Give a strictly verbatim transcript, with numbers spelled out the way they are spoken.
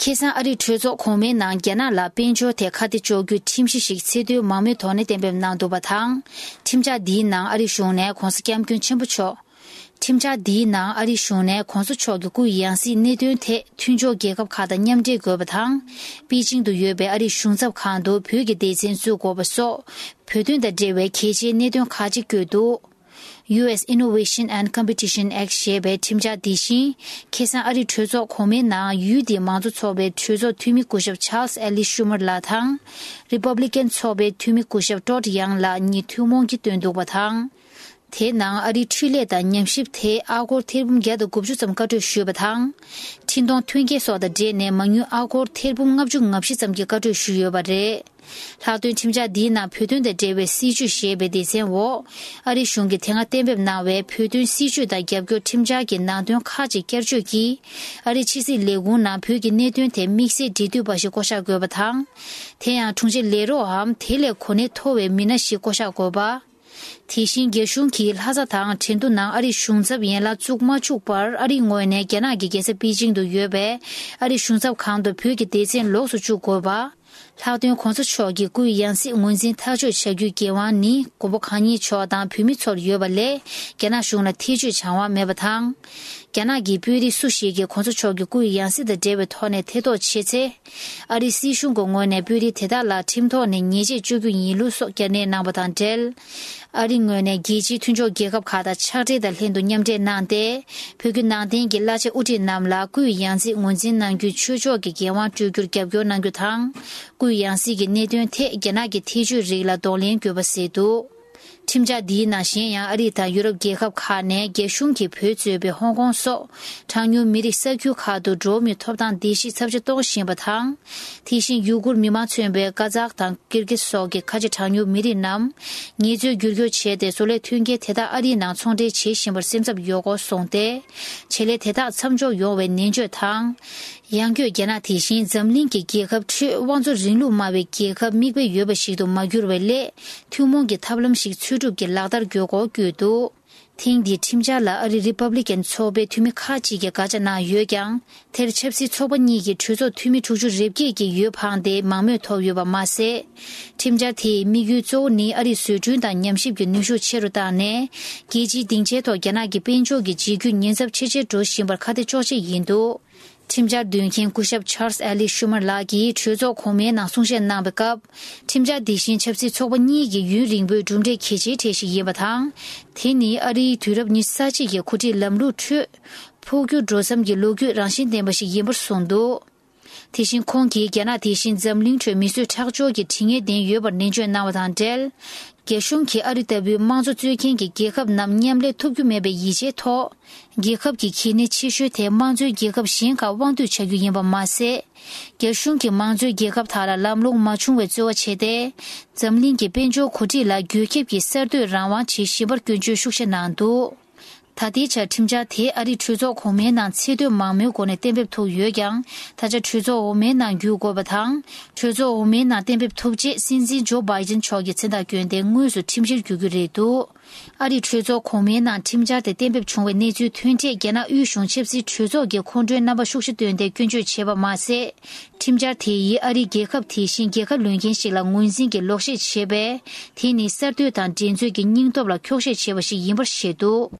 ཁ་སང་ཨ་རིའི་གྲོས་ཚོགས་གོང་མའི་ནང་རྒྱ་ནག་ལ་དཔལ་འབྱོར་ཐད་ཁ་གཏད་གཅོག་རྒྱུའི་ཁྲིམས་གཞི་ཞིག་ཚད་མཐོའི་མང་མོས་ཐོག་ནས་གཏན་འབེབས་གནང་འདུག་པ་དང་། ཁྲིམས་འཆར་འདིའི་ནང་ཨ་རིའི་གཞུང་ནས་༧གོང་ས་༧སྐྱབས་མགོན་ཆེན་པོ་མཆོག་ཁྲིམས་འཆར་འདིའི་ནང་ཨ་རིའི་གཞུང་ནས་༧གོང་ས་མཆོག་གི་སྐུའི་ཡང་སྲིད་གནད་དོན་ཐད་མཐུན་ཕྱོགས་རྒྱལ་ཁབ་ཁག་དང་མཉམ་འབྲེལ་དགོས་པ་དང་། པེ་ཅིང་དུ་ཡོད་པའི་ཨ་རིའི་གཞུང་ཚབ་ཁང་དུ་བོད་ཀྱི་སྡེ་ཚན་བཙུགས་དགོས་པ་སོགས་བོད་དོན་དང་འབྲེལ་བའི་གལ་ཆེའི་གནད་དོན་ཁག་ཅིག་བཀོད་འདུག། ཡུ་ཨེས་Innovation and Competition Act ཞེས་པའི་ཁྲིམས་འཆར་འདི་བཞིན། ཁ་སང་ཨ་རིའི་གྲོས་ཚོགས་གོང་མའི་ནང་ཡུལ་དེའི་མང་གཙོ་ཚོགས་པའི་གྲོས་ཚོགས་འཐུས་མི་སྐུ་ཞབས་Charles Eli Schumer ལགས་དང་། Republican ཚོགས་པའི་འཐུས་མི་སྐུ་ཞབས་Todd Young ལགས་གཉིས་ཐུན་མོང་གིས་བཏོན་འདུག་པ་དང་། དེའི་ནང་ཨ་རིའི་འཕྲུལ་ལས་དང་ཉམས་ཞིབ་ཐད་ཨ་སྒོར་ཐེར་འབུམ་བརྒྱ་དང་དགུ་བཅུ་ཙམ་བཀའ་འཁྲོལ་ཞུས་པ་དང་། འཕྲིན་གཏོང་མཐུན་རྐྱེན་སོགས་དང་འབྲེལ་ནས་མ་དངུལ་ཨ་སྒོར་ཐེར་འབུམ་ལྔ་བཅུ་ང་བཞི་ཙམ་གྱི་བཀའ་འཁྲོལ་ཞུས་ཡོད་པ་རེད། ལྷག་དོན་ཁྲིམས་འཆར་འདིའི་ནང་བོད་དོན་དང་འབྲེལ་བའི་སྲིད་བྱུས་ཞེས་པའི་སྡེ་ཚན་འོག་ཨ་རིའི་གཞུང་གིས་དེ་སྔ་གཏན་འབེབས་གནང་བའི་བོད་དོན་སྲིད་བྱུས་དང་རྒྱབ་སྐྱོར་ཁྲིམས་འཆར་གྱི་ནང་དོན་ཁག་ཅིག་བསྐྱར་བཅོས་ཀྱིས། ཨ་རིའི་ཕྱི་སྲིད་ལས་ཁུངས་ནང་བོད་ཀྱི་གནད་དོན་ཐད་དམིགས་བསལ་འབྲེལ་མཐུད་པ་ཞིག་བསྐོ་གཞག་དགོས་པ་དང་། དེ་ཡང་དྲུང་ཆེ་ལས་རོགས་འམ་དེ་ལས་གོ་གནས་མཐོ་བའི་མི་སྣ་ཞིག་བསྐོ་གཞག་དགོས་པ། དེ་བཞིན་རྒྱ་གཞུང་གིས་ལྷ་ས་དང་ཁྲེང་ཏུའུ་ནང་ཨ་རིའི་གཞུང་ཚབ་ཡན་ལག་བཙུགས་མ་བཅུག་པར། ཨ་རིའི་ངོས་ནས་རྒྱ་ནག་གི་རྒྱལ་ས་པེ་ཅིང་དུ་ཡོད་པའི་ཨ་རིའི་གཞུང་ཚབ་ཁང་དུ་བོད་ཀྱི་སྡེ་ཚན་ལོགས་སུ་བཅུག་དགོས་པ། ལྷག་དོན་༧གོང་ས་མཆོག་གི་སྐུའི་ཡང་སྲིད་ངོས་འཛིན་ཐག་གཅོད་བྱ་རྒྱུའི་འགན་དབང་ནི་མགོན་པོ་གང་ཉིད་མཆོག་དང་བོད་མི་ཚོར་ཡོད་པ་ལས། རྒྱ་ནག་གཞུང་ལ་ཐེ་བྱུས་བྱ་དབང་མེད་པ་དང་། རྒྱ་ནག་གི་དཔོན་རིགས་སུ་ཞིག་གིས་༧གོང་ས་མཆོག་གི་སྐུའི་ཡང་སྲིད་དང་འབྲེལ་བའི་ཐོག་ནས་ཐེ་གཏོགས་བྱས་ཚེ། ཨ་རིའི་སྲིད་གཞུང་གི་ངོས་ནས་དཔོན་རིགས་དེ་དག་ལ་ཁྲིམས་ཐོག་ནས་ཉེས་ཆད་གཅོད་རྒྱུ་ཡིན་ལུགས་སོགས་བསྐྱར་ནན་གནང་བ་དང་འབྲེལ། ཨ་རིའི་ངོས་ནས་རྒྱལ་སྤྱིའི་མཐུན་ཕྱོགས་རྒྱལ་ཁབ་ཁག་དང་ཕྱག་སྦྲེལ་དང་ལྷན་དུ་མཉམ་འབྲེལ་གནང་སྟེ། བོད་བརྒྱུད་ནང་བསྟན་གྱི་བླ་ཆེན་དབུ་ཁྲིད་རྣམས་ལ་སྐུའི་ཡང་སྲིད་ངོས་འཛིན་གནང་རྒྱུའི་ཆོས་ཕྱོགས་ཀྱི་འགན་དབང་སྤྲོད་རྒྱུར་རྒྱབ་སྐྱོར་གནང་རྒྱུ་དང་། སྐུའི་ཡང་སྲིད་ཀྱི་གནད་དོན་ཐད་རྒྱ་ནག་གི་ཐེ་བྱུས་རིགས་ལ་གདོང་ལེན་དགོས་པ་ཟེར་འདུག། ཁྲིམས་འཆར་འདིའི་ནང་གཞན་ཡང་ཨ་རི་དང་ཡུ་རོབ་རྒྱལ་ཁབ་ཁག་ནས་རྒྱ་གཞུང་གིས་བོད་གཙོས་པའི་ཧོང་ཀོང་སོགས་གྲངས་ཉུང་མི་རིགས་ས་ཁུལ་ཁག་ཏུ་འགྲོ་བ་མིའི་ཐོབ་ཐང་བརྡལ་བཤིག་ཚབས་ཆེ་གཏོང་བཞིན་པ་དང་། དེ་བཞིན་ཡུ་གུར་མི་མང་མཚོན་པའི་ཀ་ཛག་དང་ཀིར་གིས་སོགས་ཀྱི་ཁ་ཆེ་གྲངས་ཉུང་མི་རིགས་རྣམས་ངལ་རྩོལ་བསྒྱུར་བཅོས་བྱས་ཏེ་བཟོ་ལས་མཐུན་རྐྱེན་དེ་དག་ཨ་རིའི་ནང་ཚོང་འབྲེལ་བྱེད་བཞིན་པར་སེམས་འཚབ་ཡོད་སྐོར་གསུངས་ཏེ། བྱེད་ལས་དེ་དག་མཚམས་འཇོག་ཡོང་བའི་ནན་བརྗོད་དང་། ཡང་སྒོས་རྒྱ་ནག་དེ་བཞིན་འཛམ་གླིང་གི་རྒྱལ་ཁབ་ཁྲོད་དབང་འཛིན་རིང་ལུགས་སྨྲ་བའི་རྒྱལ་ཁབ་མིག་དཔེ་ཡོད་པ་ཞིག་ཏུ་མ་གྱུར་བའི་སླད། ཐུན་མོང་གི་ཐབས་ལམ་ཞིག་འཚོལ་སྒྲུབ་ཀྱིས་ལག་བསྟར་དགོས་སྐོར་བཀོད་འདུག། ཐེངས་འདིའི་ཁྲིམས་འཆར་ལ་ཨ་རིའི་རི་པབ་ལི་ཀན་ཚོགས་པའི་འཐུས་མི་ཁག་ཅིག་གིས་དགག་བྱ་གནང་ཡོད་ཀྱང་། དེར་ཆབ་སྲིད་ཚོགས་པ་གཉིས་ཀྱི་གྲོས་ཚོགས་འཐུས་མི་དྲུག་ཅུ་རེ་བརྒྱད་ཀྱིས་འོས་འཕངས་ཏེ་མང་མོས་ཐོབ་ཡོད་པ་མ་ཟད། ཁྲིམས་འཆར་དེའི་དམིགས་ཡུལ་གཙོ་བོ་ནི་ཨ་རིའི་བཟོ་སྐྲུན་དང་ཉམས་ཞིབ་ཀྱི་ནུས་ཤུགས་ཆེ་རུ་བཏང་ནས། རྒྱལ་སྤྱིའི་སྡིངས་ཆའི་ཐོག་རྒྱ་ནག་གི་དཔལ་འབྱོར་གྱི་འཇིགས་སྐུལ་ཉེན་ཚབས་ཆེ་ཆེར་འགྲོ་བཞིན་པར་ཁ་གཏད་གཅོག་ཆེད་ཡིན་འདུག། ཁྲིམས་འཆར་འདོན་མཁན་སྐུ་ཞབས་Charles Eli Schumer ལགས་ཀྱིས་གྲོས་ཚོགས་གོང་མའི་ནང་གསུང་བཤད་གནང་བའི་སྐབས། ཁྲིམས་འཆར་འདི་བཞིན་ཆབ་སྲིད་ཚོགས་པ་གཉིས་ཀྱི་ཡུན་རིང་པོའི་གྲུབ་འབྲས་གལ་ཆེའི་གྲས་ཤིག་ཡིན་པ་དང་། དེ་ནི་ཨ་རིའི་དུས་རབས་ཉི་ཤུ་རྩ་གཅིག་གི་འགོ་ཁྲིད་ལམ་ལུགས་ཁྲོད། འཕོ་འགྱུར་འགྲོ་མཚམས་ཀྱི་ལོ་རྒྱུས་རང་བཞིན་ལྡན་པ་ཞིག་ཡིན་པར་གསུངས་འདུག། དེ་བཞིན་ཁོང་གིས་རྒྱ་ནག་དེ་བཞིན་འཛམ་གླིང་ཁྲོད་མི་གསོད་ཁྲག་སྦྱོར་གྱི་དྲི་ངན་ལྡན་ཡོད་པར་ནན་བརྗོད་གནང་བ་དང་འབྲེལ། རྒྱ་གཞུང་གིས་ཨ་རི་ལྟ་བུའི་དམངས་གཙོ་རྩོད་མཁན་གྱི་རྒྱལ་ཁབ་རྣམས་མཉམ་ལས་ཐུབ་རྒྱུ་མེད་པའི་ཡིད་ཆེས་ཐོག། རྒྱལ་ཁབ་ཀྱི་གལ་གནད་ཆེ་ཤོས་དེ་དམངས་གཙོའི་རྒྱལ་ཁབ་གཞན་ཁག་དབང་སྡུད་བྱ་རྒྱུ་ཡིན་པ་མ་ཟད། རྒྱ་གཞུང་གིས་དམངས་གཙོའི་རྒྱལ་ཁབ་དག་ལ་ལམ་ལྷོང་མ་བྱུང་བའི་རྩོལ་བ་བྱས་ཏེ། འཛམ་གླིང་གི་དཔལ་འབྱོར་གོ་སྒྲིག་ལ་འགོས་ཁྱབ་ཀྱིས་གསར་གཏོད་རང་དབང་བྱེད་བཞིན་པར་སྐྱོན་བརྗོད་ཤུགས་ཆེ་གནང་འདུག། ད་ལྟའི་ཆར་ཁྲིམས་འཆར་དེ་ཨ་རིའི་གྲོས་ཚོགས་གོང་མའི་ནང་ཚད་མཐོའི་མང་མོས་སྒོ་ནས་གཏན་འབེབས་ཐུབ་ཡོད་ཀྱང་། ད་ཆ་གྲོས་ཚོགས་འོག་མའི་ནང་བསྒྱུར་དགོས་པ་དང་། གྲོས་ཚོགས་འོག་མའི་ནང་གཏན་འབེབས་ཐུབ་རྗེས་སྲིད་འཛིན་ཇོ་བྷའི་ཏིན་མཆོག་གི་མཚན་རྟགས་བསྐྱོན་ཏེ་དངོས་སུ་ཁྲིམས་གཞིར་འགྱུར་རྒྱུ་རེད་འདུག། ཨ་རིའི་གྲོས་ཚོགས་གོང་མའི་ནང་ཁྲིམས་འཆར་དེ་གཏན་འབེབས་བྱུང་བའི་གནས་ཚུལ་ཐོན་འཕྲལ། རྒྱ་ནག་དབུས་གཞུང་ཆབ་སྲིད་གྲོས་ཚོགས་ཀྱིས་ཁོང་ཁྲོའི་རྣམ་པ་ཤུགས་ཆེ་བཏོན་ཏེ་སྐྱོན་བརྗོད་བྱས་པ་མ་ཟད། ཁྲིམས་འཆར་དེ་ཡིས་ཨ་རིའི་རྒྱལ་ཁབ་དེ་བཞིན་རྒྱལ་ཁ་ལོན་མཁན་ཞིག་ལ་ངོས་འཛིན་གྱི་ལོག་བཤད་བྱས་པས། དེ་ནི་གསར་གཏོད་དང་འགྲན་རྩོད་ཀྱི་སྙིང་སྟོབས་ལ་འཁྱོག་བཤད་བྱས་པ་ཞིག་ཡིན་པར་བཤད་འདུག།